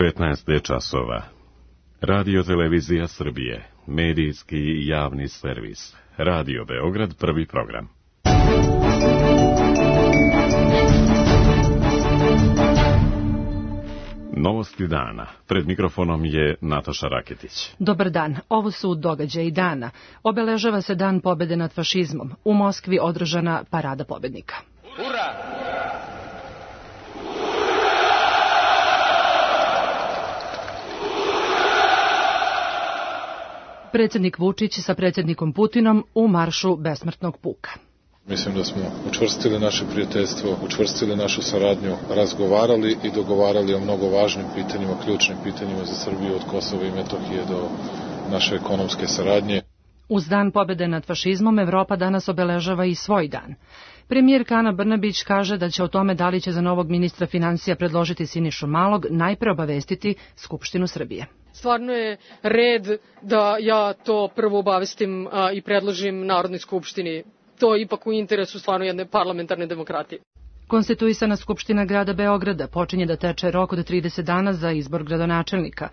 15 je časova. Radio Televizija Srbije, medijski i javni servis. Radio Beograd, prvi program. Novosti dana. Pred mikrofonom je Nataša Raketić. Dobar dan. Ovo su događaji dana. Obeležava se Dan pobede nad fašizmom. U Moskvi održana parada pobednika. Ura! Predsjednik Vučić sa predsjednikom Putinom u maršu besmrtnog puka. Mislim da smo učvrstili naše prijateljstvo, učvrstili našu saradnju, razgovarali i dogovarali o mnogo važnim pitanjima, ključnim pitanjima za Srbiju od Kosova i Metohije do naše ekonomske saradnje. Uz Dan pobede nad fašizmom, Evropa danas obeležava i svoj dan. Premijerka Ana Brnabić kaže da će o tome da li će za novog ministra finansija predložiti Sinišu Malog najpre obavestiti Skupštinu Srbije. Stvarno je red da ja to prvo obavestim i predložim Narodnoj skupštini. To je ipak u interesu stvarno jedne parlamentarne demokratije. Konstituisana Skupština grada Beograda počinje da teče rok od 30 dana za izbor gradonačelnika.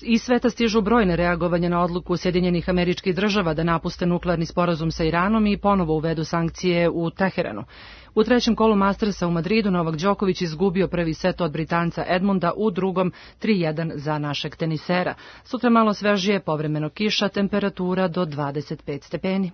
Iz sveta stižu brojne reagovanja na odluku Sjedinjenih Američkih Država da napuste nuklearni sporazum sa Iranom i ponovo uvedu sankcije u Teheranu. U trećem kolu Mastersa u Madridu Novak Đoković izgubio prvi set od Britanca Edmunda, u drugom 3-1 za našeg tenisera. Sutra malo svežije, povremeno kiša, temperatura do 25 stepeni.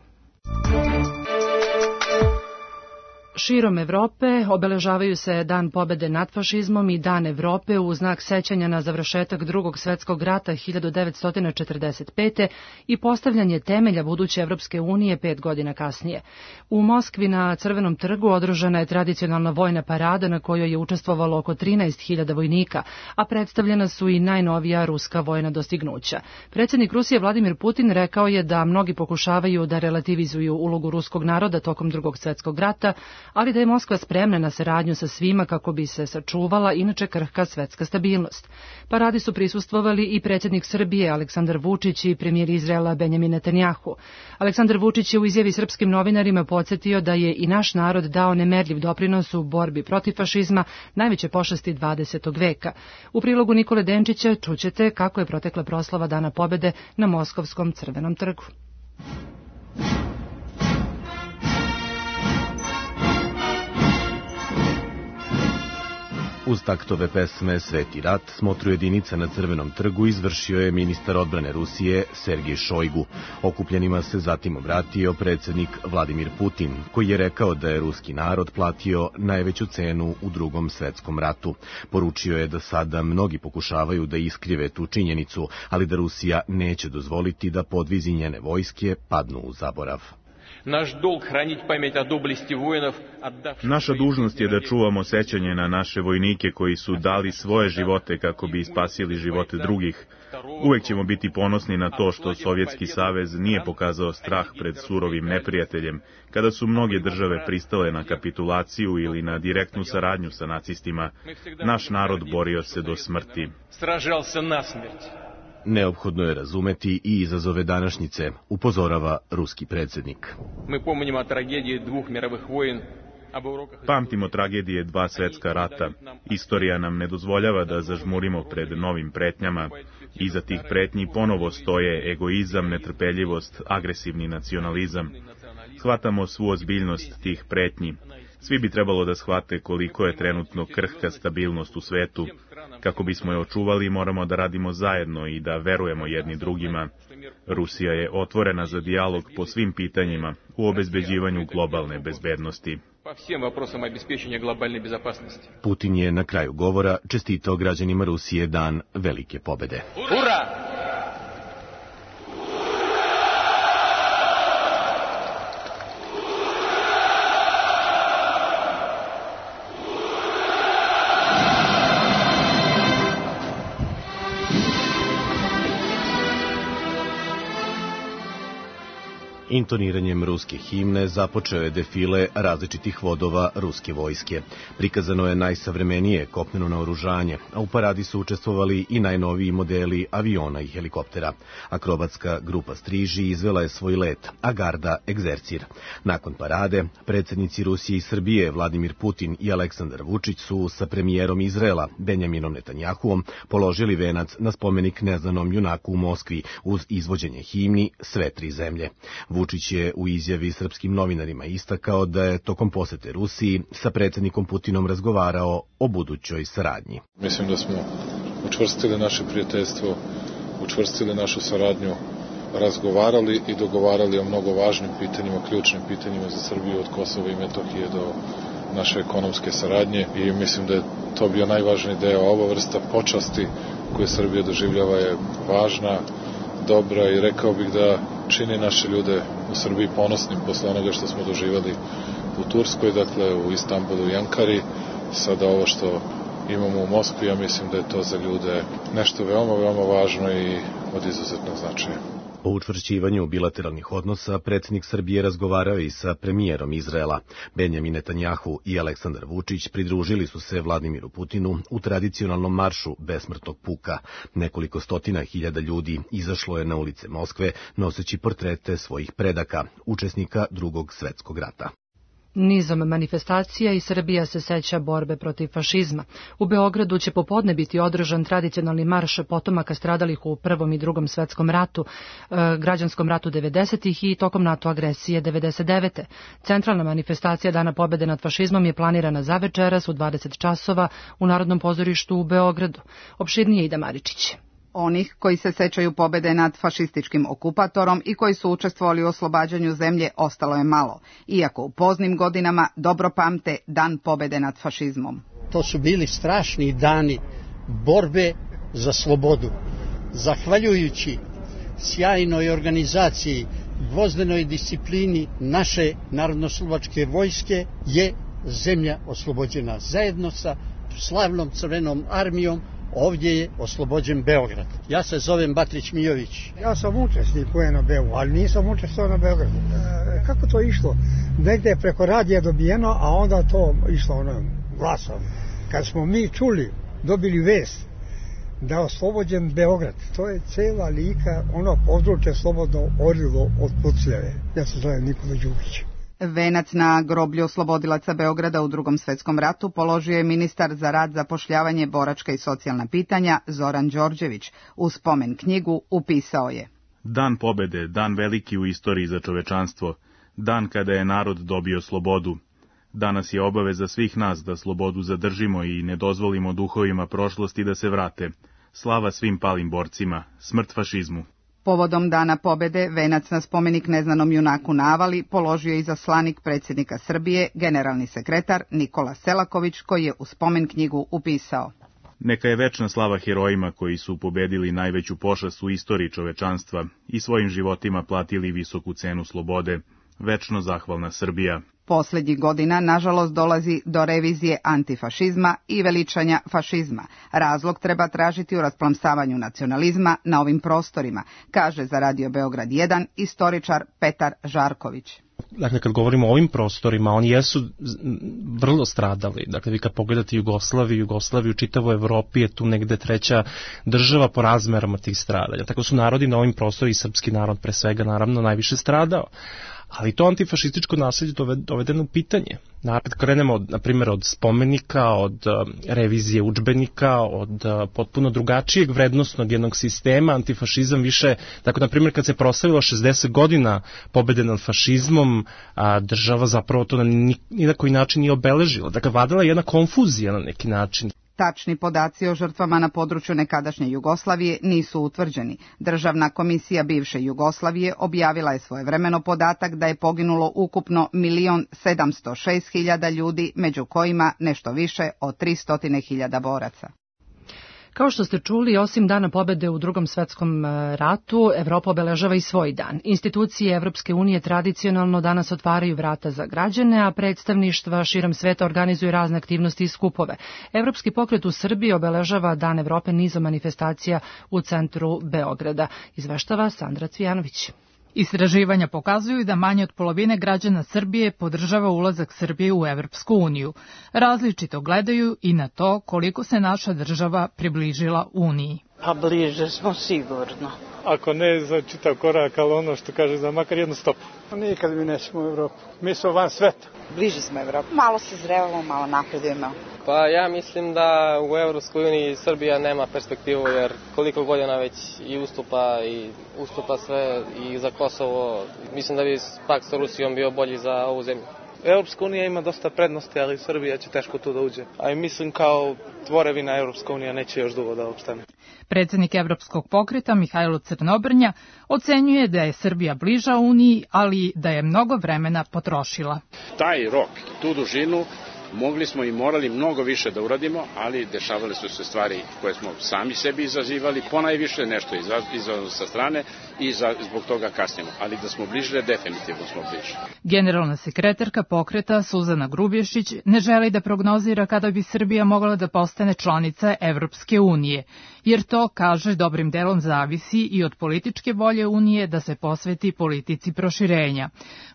Širom Evrope obeležavaju se Dan pobede nad fašizmom i Dan Evrope u znak sećanja na završetak Drugog svjetskog rata 1945. i postavljanje temelja buduće Evropske unije 5 godina kasnije. U Moskvi na Crvenom trgu održana je tradicionalna vojna parada na kojoj je učestvovalo oko 13.000 vojnika, a predstavljena su i najnovija ruska vojna dostignuća. Predsjednik Rusije Vladimir Putin rekao je da mnogi pokušavaju da relativizuju ulogu ruskog naroda tokom Drugog svjetskog rata, ali da je Moskva spremna na saradnju sa svima kako bi se sačuvala inače krhka svetska stabilnost. Paradi su prisustvovali i predsjednik Srbije Aleksandar Vučić i premijer Izraela Benjamin Netanjahu. Aleksandar Vučić je u izjavi srpskim novinarima podsjetio da je i naš narod dao nemerljiv doprinos u borbi protiv fašizma, najveće pošasti 20. veka. U prilogu Nikole Denčića čućete kako je protekla proslava Dana pobede na Moskovskom Crvenom trgu. Uz taktove pesme Sveti rat smotru jedinica na Crvenom trgu izvršio je ministar odbrane Rusije Sergej Šojgu. Okupljenima se zatim obratio predsjednik Vladimir Putin, koji je rekao da je ruski narod platio najveću cenu u Drugom svjetskom ratu. Poručio je da sada mnogi pokušavaju da iskrive tu činjenicu, ali da Rusija neće dozvoliti da podvizi njene vojske padnu u zaborav. Naša dužnost je da čuvamo sećanje na naše vojnike koji su dali svoje živote kako bi spasili živote drugih. Uvek ćemo biti ponosni na to što Sovjetski savez nije pokazao strah pred surovim neprijateljem, kada su mnoge države pristale na kapitulaciju ili na direktnu saradnju sa nacistima. Naš narod borio se do smrti. Neophodno je razumeti i izazove današnjice, upozorava ruski predsjednik. Pamtimo tragedije 2 svjetska rata. Istorija nam ne dozvoljava da zažmurimo pred novim pretnjama. Iza tih pretnji ponovo stoje egoizam, netrpeljivost, agresivni nacionalizam. Shvatamo svu ozbiljnost tih pretnji. Svi bi trebalo da shvate koliko je trenutno krhka stabilnost u svetu. Kako bismo je očuvali, moramo da radimo zajedno i da verujemo jedni drugima. Rusija je otvorena za dijalog po svim pitanjima u obezbeđivanju globalne bezbednosti. Putin je na kraju govora čestitao građanima Rusije Dan velike pobede. Ura! Intoniranjem ruske himne započeo je defile različitih vodova ruske vojske. Prikazano je najsavremenije kopneno naoružanje, a u paradi su učestvovali i najnoviji modeli aviona i helikoptera. Akrobatska grupa Striži izvela je svoj let, a garda egzercir. Nakon parade, predsjednici Rusije i Srbije Vladimir Putin i Aleksandar Vučić su sa premijerom Izraela Benjaminom Netanjahuom položili venac na spomenik neznanom junaku u Moskvi uz izvođenje himni Sve tri zemlje. Vučić je u izjavi srpskim novinarima istakao da je tokom posete Rusiji sa predsjednikom Putinom razgovarao o budućoj saradnji. Mislim da smo učvrstili naše prijateljstvo, učvrstili našu saradnju, razgovarali i dogovarali o mnogo važnim pitanjima, ključnim pitanjima za Srbiju od Kosova i Metohije do naše ekonomske saradnje i mislim da je to bio najvažniji deo. Ova vrsta počasti koju Srbija doživljava je važna, dobra i rekao bih da čini naše ljude u Srbiji ponosnim posle onoga što smo doživjeli u Turskoj, dakle u Istanbulu i Ankari. Sada ovo što imamo u Moskvi, ja mislim da je to za ljude nešto veoma, veoma važno i od izuzetnog značaja. O učvršćivanju bilateralnih odnosa predsjednik Srbije razgovarao i sa premijerom Izraela. Benjamin Netanjahu i Aleksandar Vučić pridružili su se Vladimiru Putinu u tradicionalnom maršu besmrtnog puka. Nekoliko stotina hiljada ljudi izašlo je na ulice Moskve noseći portrete svojih predaka, učesnika Drugog svetskog rata. Nizom manifestacija i Srbija se seća borbe protiv fašizma. U Beogradu će popodne biti održan tradicionalni marš potomaka stradalih u Prvom i Drugom svetskom ratu, građanskom ratu 90-ih i tokom NATO agresije 99. Centralna manifestacija Dana pobede nad fašizmom je planirana za večeras u 20 časova u Narodnom pozorištu u Beogradu. Opširnije Ida Maričić. Onih koji se sećaju pobede nad fašističkim okupatorom i koji su učestvovali u oslobađanju zemlje ostalo je malo, iako u poznim godinama dobro pamte Dan pobede nad fašizmom. To su bili strašni dani borbe za slobodu. Zahvaljujući sjajnoj organizaciji, gvozdenoj disciplini naše narodnoslovačke vojske je zemlja oslobođena. Zajedno sa slavnom Crvenom armijom ovdje je oslobođen Beograd. Ja se zovem Batrić Mijović. Ja sam učesnik u NOB-u, ali nisam učestvovao na Beogradu. Kako to išlo? Negde je preko radija dobijeno, a onda to išlo glasom. Kad smo mi čuli, dobili vest da je oslobođen Beograd, to je cela Lika, područje slobodno orilo od pucljave. Ja se zovem Nikola Đukić. Venac na groblju oslobodilaca Beograda u Drugom svetskom ratu položio je ministar za rad, zapošljavanje, boračka i socijalna pitanja Zoran Đorđević. U spomen knjigu upisao je: Dan pobede, dan veliki u istoriji za čovečanstvo, dan kada je narod dobio slobodu. Danas je obaveza svih nas da slobodu zadržimo i ne dozvolimo duhovima prošlosti da se vrate. Slava svim palim borcima, smrt fašizmu. Povodom Dana pobede venac na spomenik neznanom junaku na Avali položio je izaslanik predsjednika Srbije, generalni sekretar Nikola Selaković, koji je u spomen knjigu upisao: Neka je večna slava herojima koji su pobedili najveću pošast u istoriji čovečanstva i svojim životima platili visoku cenu slobode. Večno zahvalna Srbija. Posljednjih godina, nažalost, dolazi do revizije antifašizma i veličanja fašizma. Razlog treba tražiti u rasplamsavanju nacionalizma na ovim prostorima, kaže za Radio Beograd 1 istoričar Petar Žarković. Dakle, kad govorimo o ovim prostorima, oni jesu vrlo stradali. Dakle, vi kad pogledate Jugoslaviju u čitavoj Evropi je tu negde treća država po razmerama tih stradanja. Tako su narodi na ovim prostorima, i srpski narod pre svega, naravno, najviše stradao. Ali to antifašističko nasilje dovedeno u pitanje. Kad krenemo, na primjer, od spomenika, od revizije udžbenika, od potpuno drugačijeg vrednostnog jednog sistema, antifašizam više, tako na primjer kad se proslavilo 60 godina pobede nad fašizmom, država zapravo to ni na koji način nije obeležila. Dakle, vladala je jedna konfuzija na neki način. Tačni podaci o žrtvama na području nekadašnje Jugoslavije nisu utvrđeni. Državna komisija bivše Jugoslavije objavila je svojevremeno podatak da je poginulo ukupno 1.706.000 ljudi, među kojima nešto više od 300.000 boraca. Kao što ste čuli, osim Dana pobede u Drugom svetskom ratu, Evropa obeležava i svoj dan. Institucije Evropske unije tradicionalno danas otvaraju vrata za građane, a predstavništva širom sveta organizuju razne aktivnosti i skupove. Evropski pokret u Srbiji obeležava Dan Evrope nizom manifestacija u centru Beograda. Izveštava Sandra Cvijanović. Istraživanja pokazuju da manje od polovine građana Srbije podržava ulazak Srbije u Evropsku uniju. Različito gledaju i na to koliko se naša država približila Uniji. Pa bliže smo sigurno. Ako ne za čitav korak, ali ono što kaže za makar jednu stopu. Nikad mi nećemo u Evropu. Mi smo van sveta. Bliže smo Evropu. Malo se zrevamo, malo napredujemo. Pa ja mislim da u Evropskoj uniji Srbija nema perspektivu, jer koliko godina već i ustupa sve i za Kosovo. Mislim da bi pak sa Rusijom bio bolji za ovu zemlju. Evropska unija ima dosta prednosti, ali Srbija će teško tu da uđe. A mislim kao tvorevina Evropska unija neće još dugo da opstane. Predsjednik Evropskog pokreta Mihajlo Crnobrnja ocenjuje da je Srbija bliža Uniji, ali da je mnogo vremena potrošila. Taj rok, tu dužinu, mogli smo i morali mnogo više da uradimo, ali dešavale su se stvari koje smo sami sebi izazivali, ponajviše nešto izazvano sa strane i zbog toga kasnimo. Ali da smo bliže, definitivno smo bliže. Generalna sekretarka pokreta Suzana Grubješić ne želi da prognozira kada bi Srbija mogla da postane članica Evropske unije, jer to, kaže, dobrim delom zavisi i od političke volje Unije da se posveti politici proširenja.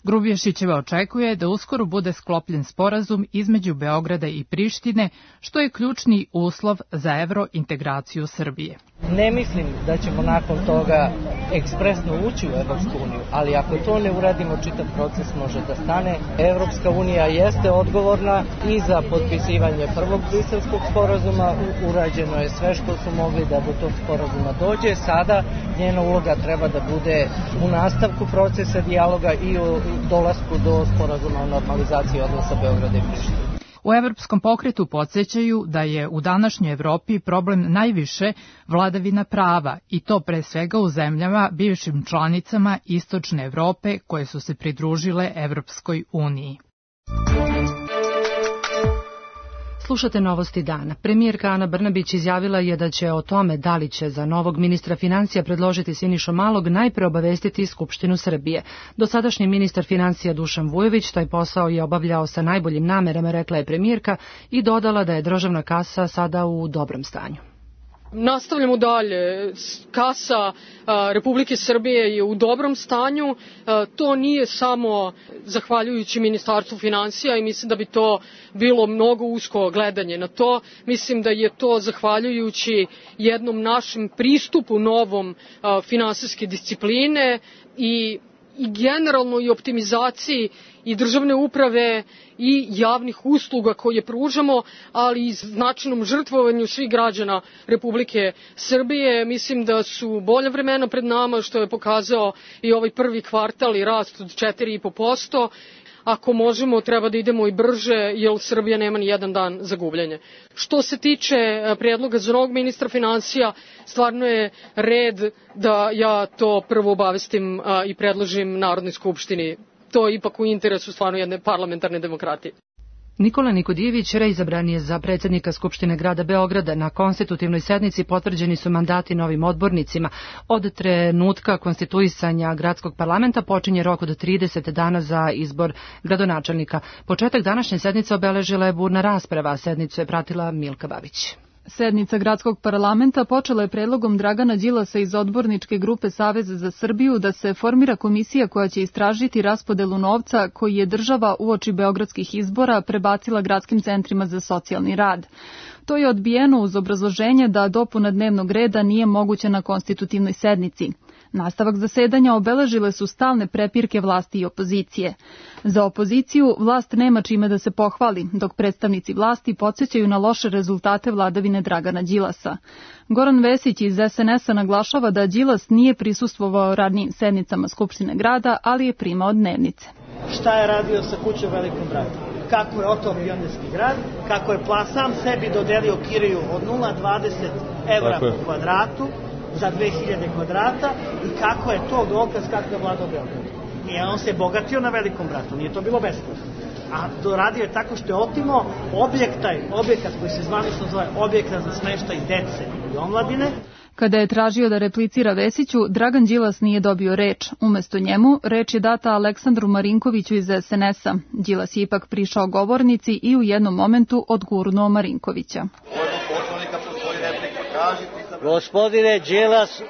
Grubješićeva očekuje da uskoro bude sklopljen sporazum između Beograda i Prištine, što je ključni uslov za evrointegraciju Srbije. Ne mislim da ćemo nakon toga ekspresno ući u Evropsku uniju, ali ako to ne uradimo, čitav proces može da stane. Evropska unija jeste odgovorna i za potpisivanje prvog Briselskog sporazuma. Urađeno je sve što su mogli da do tog sporazuma dođe. Sada njena uloga treba da bude u nastavku procesa dijaloga i u dolasku do sporazuma o normalizaciji odnosa Beograda i Prištine. U Evropskom pokretu podsjećaju da je u današnjoj Evropi problem najviše vladavina prava i to pre svega u zemljama bivšim članicama Istočne Evrope koje su se pridružile Evropskoj uniji. Slušate novosti dana. Premijerka Ana Brnabić izjavila je da će o tome da li će za novog ministra financija predložiti Sinišu Malog najpre obavestiti Skupštinu Srbije. Dosadašnji ministar financija Dušan Vujović taj posao je obavljao sa najboljim namerama, rekla je premijerka i dodala da je državna kasa sada u dobrom stanju. Nastavljamo dalje. Kasa Republike Srbije je u dobrom stanju. To nije samo zahvaljujući Ministarstvu finansija i mislim da bi to bilo mnogo usko gledanje na to. Mislim da je to zahvaljujući jednom našem pristupu novom finansijske discipline i generalno i optimizaciji i državne uprave i javnih usluga koje pružamo, ali i značajnom žrtvovanju svih građana Republike Srbije. Mislim da su bolja vremena pred nama, što je pokazao i ovaj prvi kvartal i rast od 4,5%. Ako možemo, treba da idemo i brže, jer Srbija nema ni jedan dan za gubljenje. Što se tiče predloga za novog ministra finansija, stvarno je red da ja to prvo obavestim i predložim Narodnoj skupštini. To je ipak u interesu stvarno jedne parlamentarne demokratije. Nikola Nikodijević reizabran je za predsjednika Skupštine grada Beograda. Na konstitutivnoj sednici potvrđeni su mandati novim odbornicima. Od trenutka konstituisanja gradskog parlamenta počinje rok od 30 dana za izbor gradonačelnika. Početak današnje sednice obeležila je burna rasprava, a sednicu je pratila Milka Babić. Sednica gradskog parlamenta počela je predlogom Dragana Đilasa iz odborničke grupe Saveza za Srbiju da se formira komisija koja će istražiti raspodelu novca koji je država uoči beogradskih izbora prebacila gradskim centrima za socijalni rad. To je odbijeno uz obrazloženje da dopuna dnevnog reda nije moguća na konstitutivnoj sednici. Nastavak zasedanja obeležile su stalne prepirke vlasti i opozicije. Za opoziciju vlast nema čime da se pohvali, dok predstavnici vlasti podsjećaju na loše rezultate vladavine Dragana Đilasa. Goran Vesić iz SNS-a naglašava da Đilas nije prisustvovao radnim sednicama Skupštine grada, ali je primao dnevnice. Šta je radio sa kućom Velikom bratu? Kako je otao Pionirski grad, kako je sam sebi dodelio kiriju od 0,20 evra po kvadratu, za 2000 kvadrata i kako je to dokaz kako je vladao Beograd. I on se bogatio na Velikom bratu, nije to bilo besplatno. A to radio je tako što je otimao objekat koji se zvanično zove objekat za smeštaj dece i omladine. Kada je tražio da replicira Vesiću, Dragan Đilas nije dobio reč. Umesto njemu, reč je data Aleksandru Marinkoviću iz SNS-a. Đilas je ipak prišao govornici i u jednom momentu odgurnuo Marinkovića. Poslovnika po svoju repliku tražiti sam Gospodine Đilas,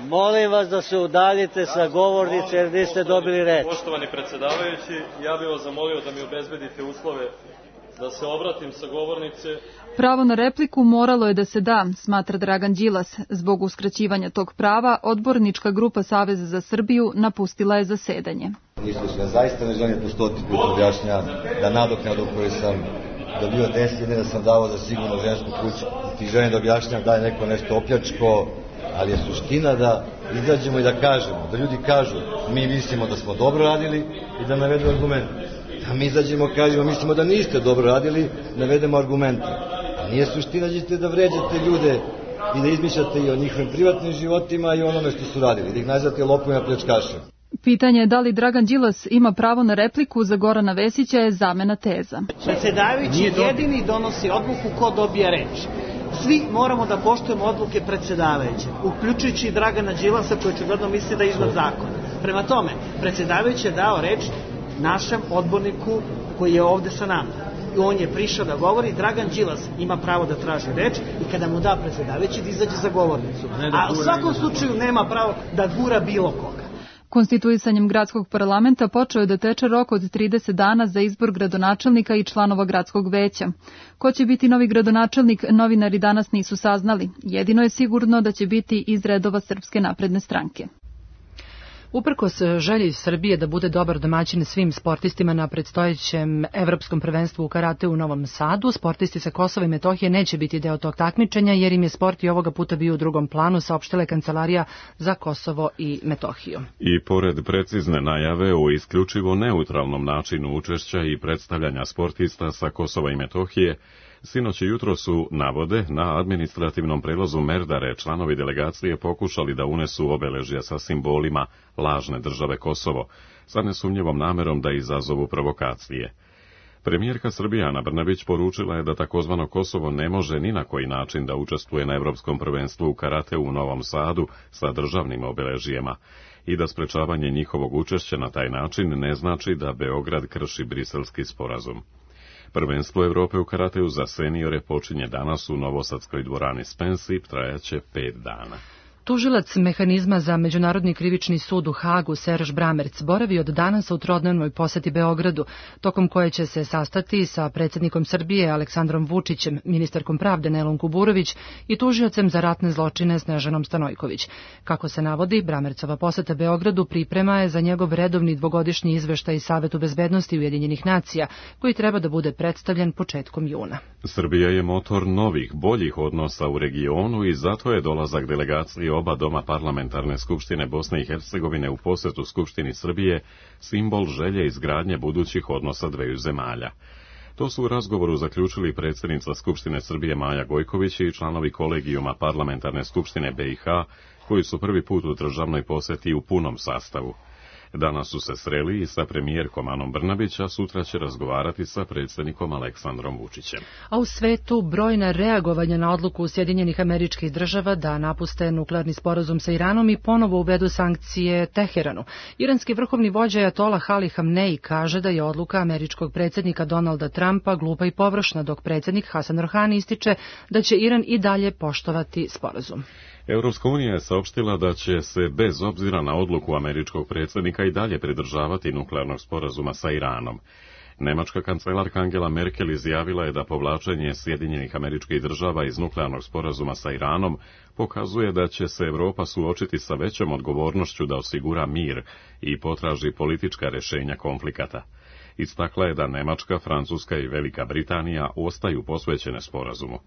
molim vas da se udaljite sa govornice jer niste dobili reč. Poštovani predsjedavajući, ja bih vas zamolio da mi obezbedite uslove da se obratim sa govornice. Pravo na repliku moralo je da se da, smatra Dragan Đilas. Zbog uskraćivanja tog prava, odbornička grupa Saveza za Srbiju napustila je zasedanje. Zaista ne želim po 100 put objašnjam da nadoknadu koju sam dobio 10 godina sam davao za sigurno žensku kuću. Ti želim da objašnjam da je neko nešto opljačko, ali je suština da izađemo i da kažemo, da ljudi kažu mi mislimo da smo dobro radili i da navedu argumente. Da mi izađemo kažemo mislimo da niste dobro radili, navedemo argumente. A nije suština da vređate ljude i da izmišljate i o njihovim privatnim životima i onome što su radili, da ih nazivate lopovima pljačkašima. Pitanje je da li Dragan Đilas ima pravo na repliku za Gorana Vesića je zamena teza. Predsjedavajući jedini donosi odluku ko dobije reč. Svi moramo da poštujemo odluke predsjedavajuće, uključujući i Dragana Đilasa koji očigledno misli da je iznad zakona. Prema tome, predsjedavajući je dao reč našem odborniku koji je ovde sa nama. I on je prišao da govori, Dragan Đilas ima pravo da traži reč i kada mu da predsjedavajući da izađe za govornicu. A u svakom slučaju nema pravo da gura bilo koga. Konstituisanjem gradskog parlamenta počeo je da teče rok od 30 dana za izbor gradonačelnika i članova gradskog veća. Ko će biti novi gradonačelnik, novinari danas nisu saznali. Jedino je sigurno da će biti iz redova Srpske napredne stranke. Uprkos želji Srbije da bude dobar domaćin svim sportistima na predstojećem evropskom prvenstvu u karateu u Novom Sadu, sportisti sa Kosova i Metohije neće biti deo tog takmičenja jer im je sport i ovoga puta bio u drugom planu, saopštila je Kancelarija za Kosovo i Metohiju. I pored precizne najave o isključivo neutralnom načinu učešća i predstavljanja sportista sa Kosova i Metohije, sinoć i jutro su, navode, na administrativnom prelazu Merdare članovi delegacije pokušali da unesu obeležja sa simbolima lažne države Kosovo, sa nesumnjivom namerom da izazovu provokacije. Premijerka Srbije Ana Brnabić poručila je da takozvano Kosovo ne može ni na koji način da učestvuje na evropskom prvenstvu u karateu u Novom Sadu sa državnim obeležijama i da sprečavanje njihovog učešća na taj način ne znači da Beograd krši Briselski sporazum. Prvenstvo Evrope u karateu za seniore počinje danas u Novosadskoj dvorani Spensip, trajaće 5 dana. Tužilac mehanizma za Međunarodni krivični sud u Hagu, Serž Bramerc, boravi od danas u trodnevnoj poseti Beogradu, tokom koje će se sastati sa predsjednikom Srbije Aleksandrom Vučićem, ministarkom pravde Nelom Kuburović i tužiocem za ratne zločine Snežanom Stanojković. Kako se navodi, Bramercova poseta Beogradu priprema je za njegov redovni dvogodišnji izveštaj Savetu bezbednosti Ujedinjenih nacija, koji treba da bude predstavljen početkom juna. Srbija je motor novih, boljih odnosa u regionu i zato je dolazak delegacije oba doma parlamentarne skupštine Bosne i Hercegovine u posetu Skupštini Srbije simbol želje izgradnje budućih odnosa dveju zemalja. To su u razgovoru zaključili predsjednica Skupštine Srbije Maja Gojković i članovi kolegijuma parlamentarne skupštine BiH, koji su prvi put u državnoj poseti u punom sastavu. Danas su se sreli i sa premijerkom Anom Brnabić, a sutra će razgovarati sa predsjednikom Aleksandrom Vučićem. A u svetu brojna reagovanja na odluku Sjedinjenih Američkih Država da napuste nuklearni sporazum sa Iranom i ponovo uvedu sankcije Teheranu. Iranski vrhovni vođa Ajatolah Ali Hamnei kaže da je odluka američkog predsjednika Donalda Trumpa glupa i površna, dok predsjednik Hasan Rohani ističe da će Iran i dalje poštovati sporazum. Europska unija je saopštila da će se bez obzira na odluku američkog predsjednika i dalje pridržavati nuklearnog sporazuma sa Iranom. Nemačka kancelarka Angela Merkel izjavila je da povlačenje Sjedinjenih Američkih Država iz nuklearnog sporazuma sa Iranom pokazuje da će se Evropa suočiti sa većom odgovornošću da osigura mir i potraži politička rješenja konflikata. Istakla je da Nemačka, Francuska i Velika Britanija ostaju posvećene sporazumu.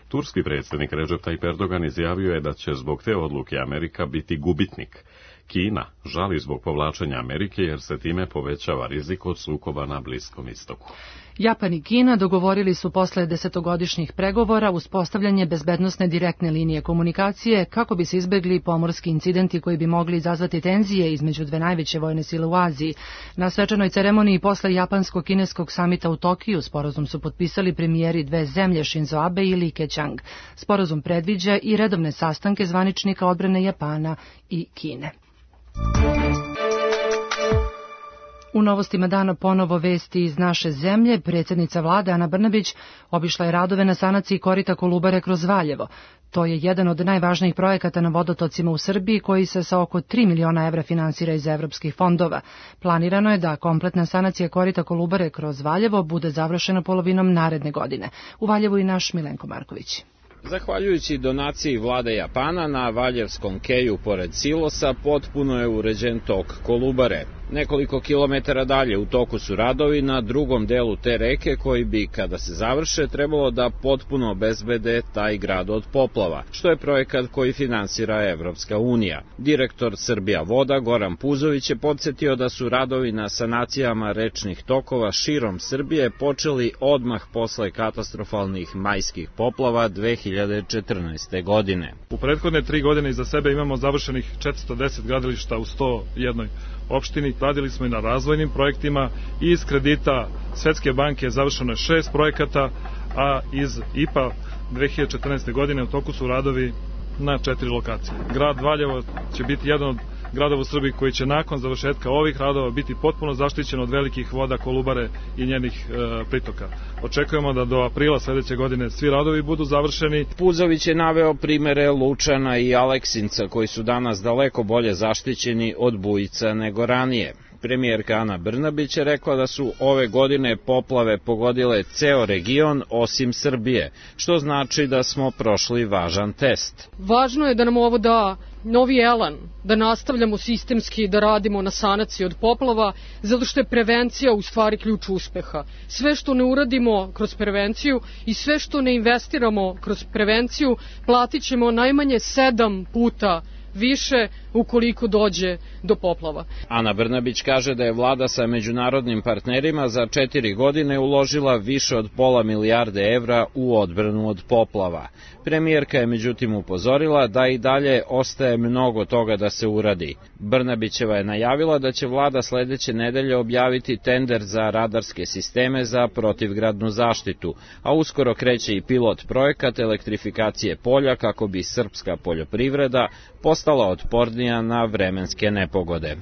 Turski predsjednik Recep Tayyip Erdogan izjavio je da će zbog te odluke Amerika biti gubitnik. Kina žali zbog povlačenja Amerike jer se time povećava rizik od sukoba na Bliskom istoku. Japan i Kina dogovorili su posle 10-godišnjih pregovora uspostavljanje bezbednosne direktne linije komunikacije kako bi se izbegli pomorski incidenti koji bi mogli izazvati tenzije između dve najveće vojne sile u Aziji. Na svečanoj ceremoniji posle japansko-kineskog samita u Tokiju sporazum su potpisali premijeri dve zemlje Shinzo Abe i Li Keqiang. Sporazum predviđa i redovne sastanke zvaničnika odbrane Japana i Kine. U novostima dana ponovo vesti iz naše zemlje. Predsjednica vlade Ana Brnabić obišla je radove na sanaciji korita Kolubare kroz Valjevo. To je jedan od najvažnijih projekata na vodotocima u Srbiji koji se sa oko 3 miliona evra finansira iz evropskih fondova. Planirano je da kompletna sanacija korita Kolubare kroz Valjevo bude završena polovinom naredne godine. U Valjevu i naš Milenko Marković. Zahvaljujući donaciji vlade Japana na Valjevskom keju pored silosa potpuno je uređen tok Kolubare. Nekoliko kilometara dalje u toku su radovi na drugom delu te reke koji bi, kada se završe, trebalo da potpuno obezbede taj grad od poplava, što je projekat koji finansira Evropska unija. Direktor Srbija voda Goran Puzović je podsjetio da su radovi na sanacijama rečnih tokova širom Srbije počeli odmah posle katastrofalnih majskih poplava 2014. godine. U prethodne 3 godine iza sebe imamo završenih 410 gradilišta u 101 opštini. Radili smo i na razvojnim projektima i iz kredita Svetske banke završeno je 6 projekata, a iz IPA 2014. godine u toku su radovi na 4 lokacije. Grad Valjevo će biti jedan od gradova u Srbiji koji će nakon završetka ovih radova biti potpuno zaštićen od velikih voda Kolubare i njenih pritoka. Očekujemo da do aprila sledeće godine svi radovi budu završeni. Puzović je naveo primere Lučana i Aleksinca koji su danas daleko bolje zaštićeni od bujica nego ranije. Premijerka Ana Brnabić je rekla da su ove godine poplave pogodile ceo region osim Srbije, što znači da smo prošli važan test. Važno je da nam ovo da novi elan, da nastavljamo sistemski da radimo na sanaciji od poplava, zato što je prevencija u stvari ključ uspeha. Sve što ne uradimo kroz prevenciju i sve što ne investiramo kroz prevenciju platit ćemo najmanje 7 puta više ukoliko dođe do poplava. Ana Brnabić kaže da je vlada sa međunarodnim partnerima za 4 godine uložila više od pola milijarde evra u odbranu od poplava. Premijerka je međutim upozorila da i dalje ostaje mnogo toga da se uradi. Brnabićeva je najavila da će vlada sledeće nedelje objaviti tender za radarske sisteme za protivgradnu zaštitu, a uskoro kreće i pilot projekat elektrifikacije polja kako bi srpska poljoprivreda postala otpornija na vremenske nepogode.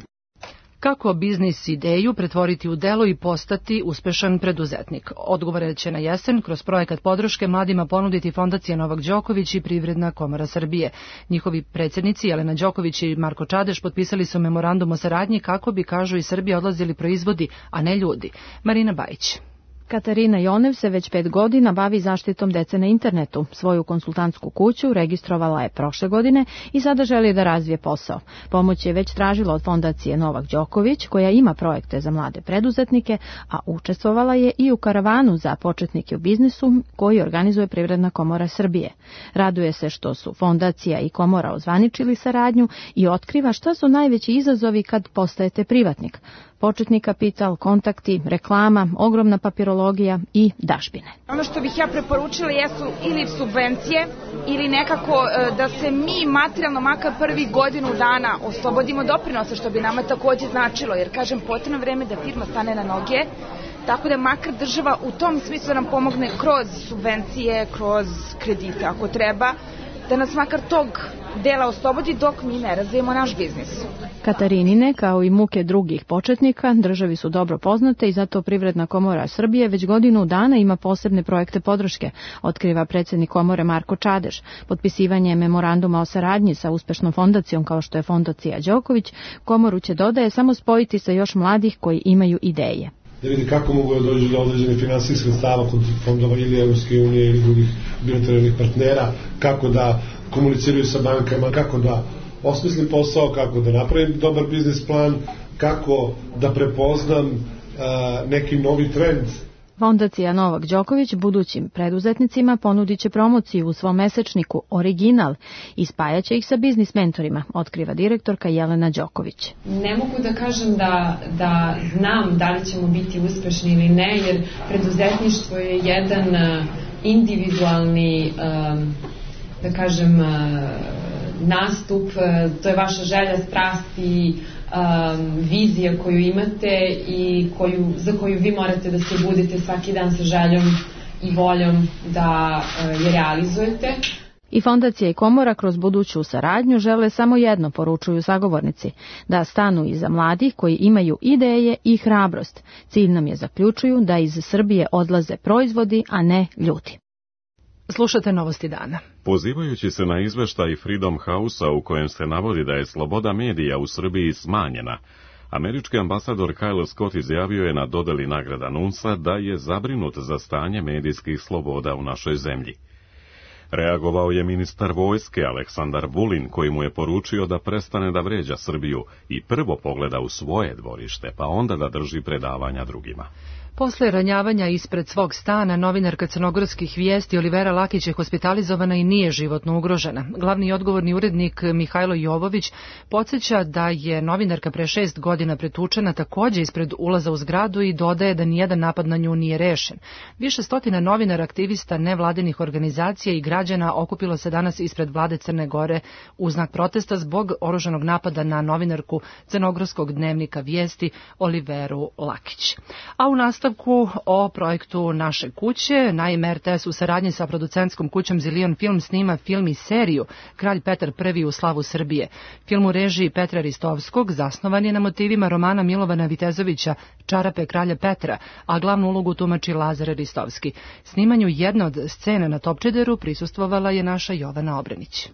Kako biznis ideju pretvoriti u delo i postati uspešan preduzetnik? Odgovore će na jesen kroz projekat podrške mladima ponuditi Fondacija Novak Đoković i Privredna komora Srbije. Njihovi predsjednici Jelena Đoković i Marko Čadeš potpisali su memorandum o saradnji kako bi, kažu, iz Srbije odlazili proizvodi, a ne ljudi. Marina Bajić. Katarina Jonev se već 5 godina bavi zaštitom dece na internetu. Svoju konsultantsku kuću registrovala je prošle godine i sada želi da razvije posao. Pomoć je već tražila od Fondacije Novak Đoković, koja ima projekte za mlade preduzetnike, a učestvovala je i u karavanu za početnike u biznisu koji organizuje Privredna komora Srbije. Raduje se što su Fondacija i komora ozvaničili saradnju i otkriva šta su najveći izazovi kad postajete privatnik. Početni kapital, kontakti, reklama, ogromna papirologija i dažbine. Ono što bih ja preporučila jesu ili subvencije ili nekako da se mi materijalno makar prvi godinu dana oslobodimo doprinosa, što bi nama takođe značilo, jer kažem potrebno vreme da firma stane na noge, tako da makar država u tom smislu nam pomogne kroz subvencije, kroz kredite ako treba, da nas makar tog dela oslobodi dok mi ne razvijemo naš biznis. Katarinine, kao i muke drugih početnika, državi su dobro poznate i zato Privredna komora Srbije već godinu dana ima posebne projekte podrške, otkriva predsjednik komore Marko Čadeš. Potpisivanje memoranduma o saradnji sa uspešnom fondacijom kao što je Fondacija Đoković, komoru će, dodaje, samo spojiti sa još mladih koji imaju ideje. Da vidi kako mogu da dođu do određene finansijskih sredstava kod fondova ili Evropske unije ili drugih bilateralnih partnera, kako da komuniciraju sa bankama, kako da osmislim posao, kako da napravim dobar biznis plan, kako da prepoznam neki novi trend. Fondacija Novak Đoković budućim preduzetnicima ponudit će promociju u svom mesečniku Original i spajaće ih sa biznis mentorima, otkriva direktorka Jelena Đoković. Ne mogu da kažem da znam da li ćemo biti uspešni ili ne, jer preduzetništvo je jedan individualni, da kažem, nastup, to je vaša želja, strast i vizija koju imate i za koju vi morate da se budete svaki dan sa željom i voljom da je realizujete. I fondacija i komora kroz buduću saradnju žele samo jedno, poručuju sagovornici, da stanu iza mladih koji imaju ideje i hrabrost. Cilj nam je, zaključuju, da iz Srbije odlaze proizvodi, a ne ljudi. Slušate Novosti dana. Pozivajući se na izveštaj Freedom House-a u kojem se navodi da je sloboda medija u Srbiji smanjena, američki ambasador Kyle Scott izjavio je na dodeli nagrada NUNS-a da je zabrinut za stanje medijskih sloboda u našoj zemlji. Reagovao je ministar vojske Aleksandar Vulin, koji mu je poručio da prestane da vređa Srbiju i prvo pogleda u svoje dvorište, pa onda da drži predavanja drugima. Posle ranjavanja ispred svog stana, novinarka crnogorskih vijesti Olivera Lakić je hospitalizovana i nije životno ugrožena. Glavni i odgovorni urednik Mihajlo Jovović podsjeća da je novinarka pre 6 godina pretučena takođe ispred ulaza u zgradu i dodaje da nijedan napad na nju nije rešen. Više stotina novinara, aktivista, nevladinih organizacija i građana okupilo se danas ispred vlade Crne Gore u znak protesta zbog oružanog napada na novinarku crnogorskog dnevnika vijesti Oliveru Lakić. A u nastavku o projektu Naše kuće, naime RTS u saradnji sa producentskom kućom Zilion Film snima film i seriju Kralj Petar I u slavu Srbije. Film u režiji Petra Ristovskog zasnovan je na motivima romana Milovana Vitezovića Čarape kralja Petra, a glavnu ulogu tumači Lazar Ristovski. Snimanju jedne od scena na Topčideru prisustvovala je naša Jovana Obrenić.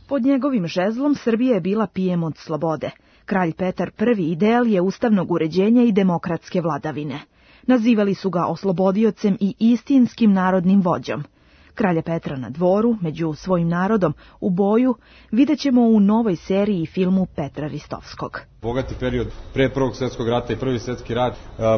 Pod njegovim žezlom Srbija je bila pijem od slobode. Kralj Petar I ideal je ustavnog uređenja i demokratske vladavine. Nazivali su ga oslobodiocem i istinskim narodnim vođom. Kralja Petra na dvoru, među svojim narodom, u boju, vidjet ćemo u novoj seriji i filmu Petra Ristovskog. Bogati period pre Prvog svjetskog rata i Prvi svjetski rat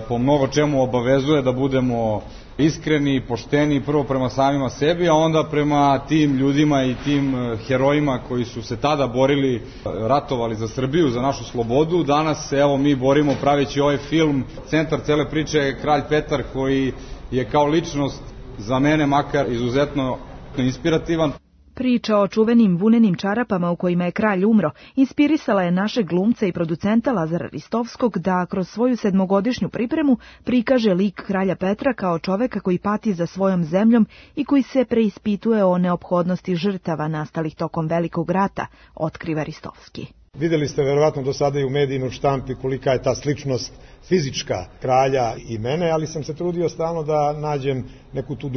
po mnogo čemu obavezuje da budemo iskreni, pošteni, prvo prema samima sebi, a onda prema tim ljudima i tim herojima koji su se tada borili, ratovali za Srbiju, za našu slobodu. Danas se evo mi borimo praveći ovaj film. Centar cele priče je Kralj Petar, koji je kao ličnost za mene makar izuzetno inspirativan. Priča o čuvenim vunenim čarapama u kojima je kralj umro inspirisala je našeg glumca i producenta Lazara Ristovskog da kroz svoju 7-godišnju pripremu prikaže lik kralja Petra kao čoveka koji pati za svojom zemljom i koji se preispituje o neophodnosti žrtava nastalih tokom Velikog rata, otkriva Ristovski. Videli ste verovatno do sada i u medijima, u štampi, kolika je ta sličnost fizička kralja i mene, ali sam se trudio stalno da nađem neku tu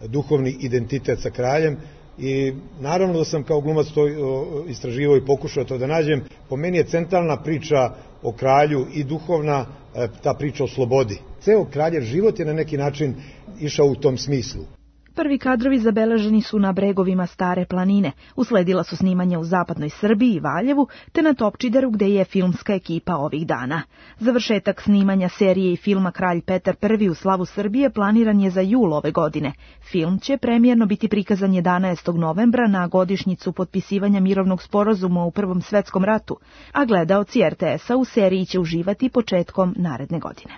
duhovni identitet sa kraljem. I naravno da sam kao glumac to istraživao i pokušao to da nađem. Po meni je centralna priča o kralju i duhovna ta priča o slobodi. Ceo kraljev život je na neki način išao u tom smislu. Prvi kadrovi zabeleženi su na bregovima Stare planine. Usledila su snimanja u zapadnoj Srbiji i Valjevu, te na Topčideru gde je filmska ekipa ovih dana. Završetak snimanja serije i filma Kralj Petar I u slavu Srbije planiran je za jul ove godine. Film će premijerno biti prikazan 11. novembra na godišnjicu potpisivanja mirovnog sporazuma u Prvom svetskom ratu, a gledaoci RTS-a u seriji će uživati početkom naredne godine.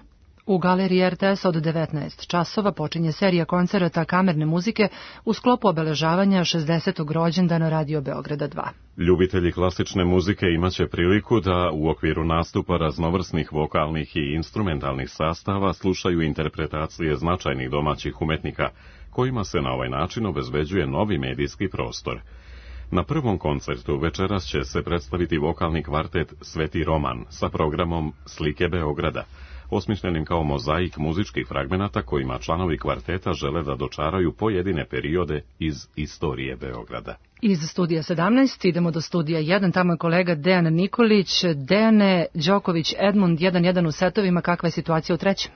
U galeriji RTS od 19 časova počinje serija koncerata kamerne muzike u sklopu obeležavanja 60. rođendana Radio Beograda 2. Ljubitelji klasične muzike imaće priliku da u okviru nastupa raznovrsnih vokalnih i instrumentalnih sastava slušaju interpretacije značajnih domaćih umetnika, kojima se na ovaj način obezbeđuje novi medijski prostor. Na prvom koncertu večeras će se predstaviti vokalni kvartet Sveti Roman sa programom Slike Beograda, osmišljenim kao mozaik muzičkih fragmenata kojima članovi kvarteta žele da dočaraju pojedine periode iz istorije Beograda. Iz studija 17 idemo do studija 1, tamo je kolega Dejan Nikolić. Dejane, Đoković, Edmund 1-1 u setovima, kakva je situacija u trećem?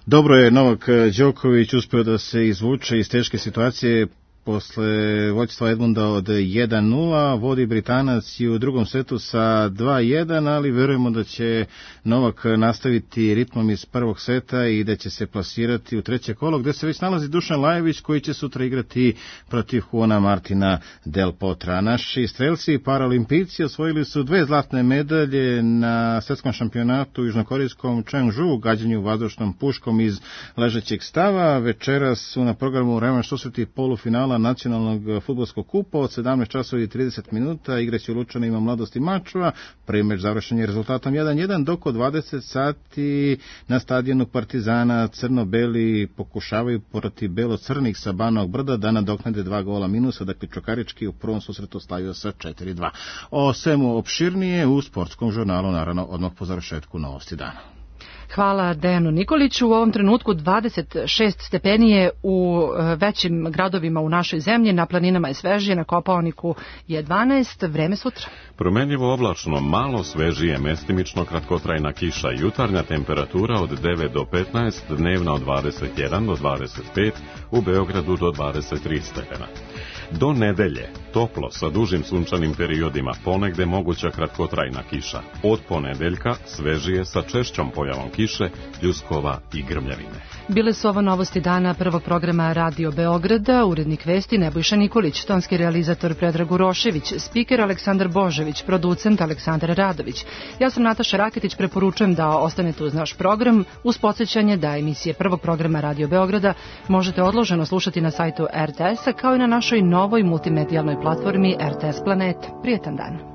Dobro je Novak Đoković uspeo da se izvuče iz teške situacije. Posle vođstva Edmunda od 1-0, vodi Britanac i u drugom setu sa 2-1, ali verujemo da će Novak nastaviti ritmom iz prvog seta i da će se plasirati u treće kolo, gde se već nalazi Dušan Lajević, koji će sutra igrati protiv Juana Martina Del Potra. Naši strelci i paralimpijci osvojili su 2 zlatne medalje na svetskom šampionatu u južnokorejskom Changju, gađanju vazdušnom puškom iz ležećeg stava. Večeras su na programu revanš susreti polufinala finala nacionalnog fudbalskog kupa od 17 časova i 30 minuta. Igraće u Lučanima Mladost i Mačva. Prvi meč završen je rezultatom 1-1, dok od 20 sati na stadionu Partizana crno-beli pokušavaju protiv belo-crnih sa Banovog Brda da nadoknade 2 gola minusa, dakle Čukarički u prvom susretu slavio sa 4-2. O svemu opširnije u sportskom žurnalu, naravno odmah po završetku novosti dana. Hvala Dejanu Nikoliću. U ovom trenutku 26 stepeni je u većim gradovima u našoj zemlji, na planinama je svežije, na Kopaoniku je 12, vreme sutra. Promenljivo oblačno, malo svežije, mestimično kratkotrajna kiša, jutarnja temperatura od 9 do 15, dnevna od 21 do 25, u Beogradu do 23 stepena. Do nedelje, toplo sa dužim sunčanim periodima, ponegde moguća kratkotrajna kiša. Od ponedeljka svežije sa češćom pojavom kiše, pljuskova i grmljavine. Bile su ovo novosti dana prvog programa Radio Beograda, urednik vesti Nebojša Nikolić, tonski realizator Predrag Urošević, spiker Aleksandar Božević, producent Aleksandar Radović. Ja sam Nataša Raketić, preporučujem da ostanete uz naš program, uz podsjećanje da emisije prvog programa Radio Beograda možete odloženo slušati na sajtu RTS-a kao i na našoj novoj multimedijalnoj platformi RTS Planet. Prijetan dan.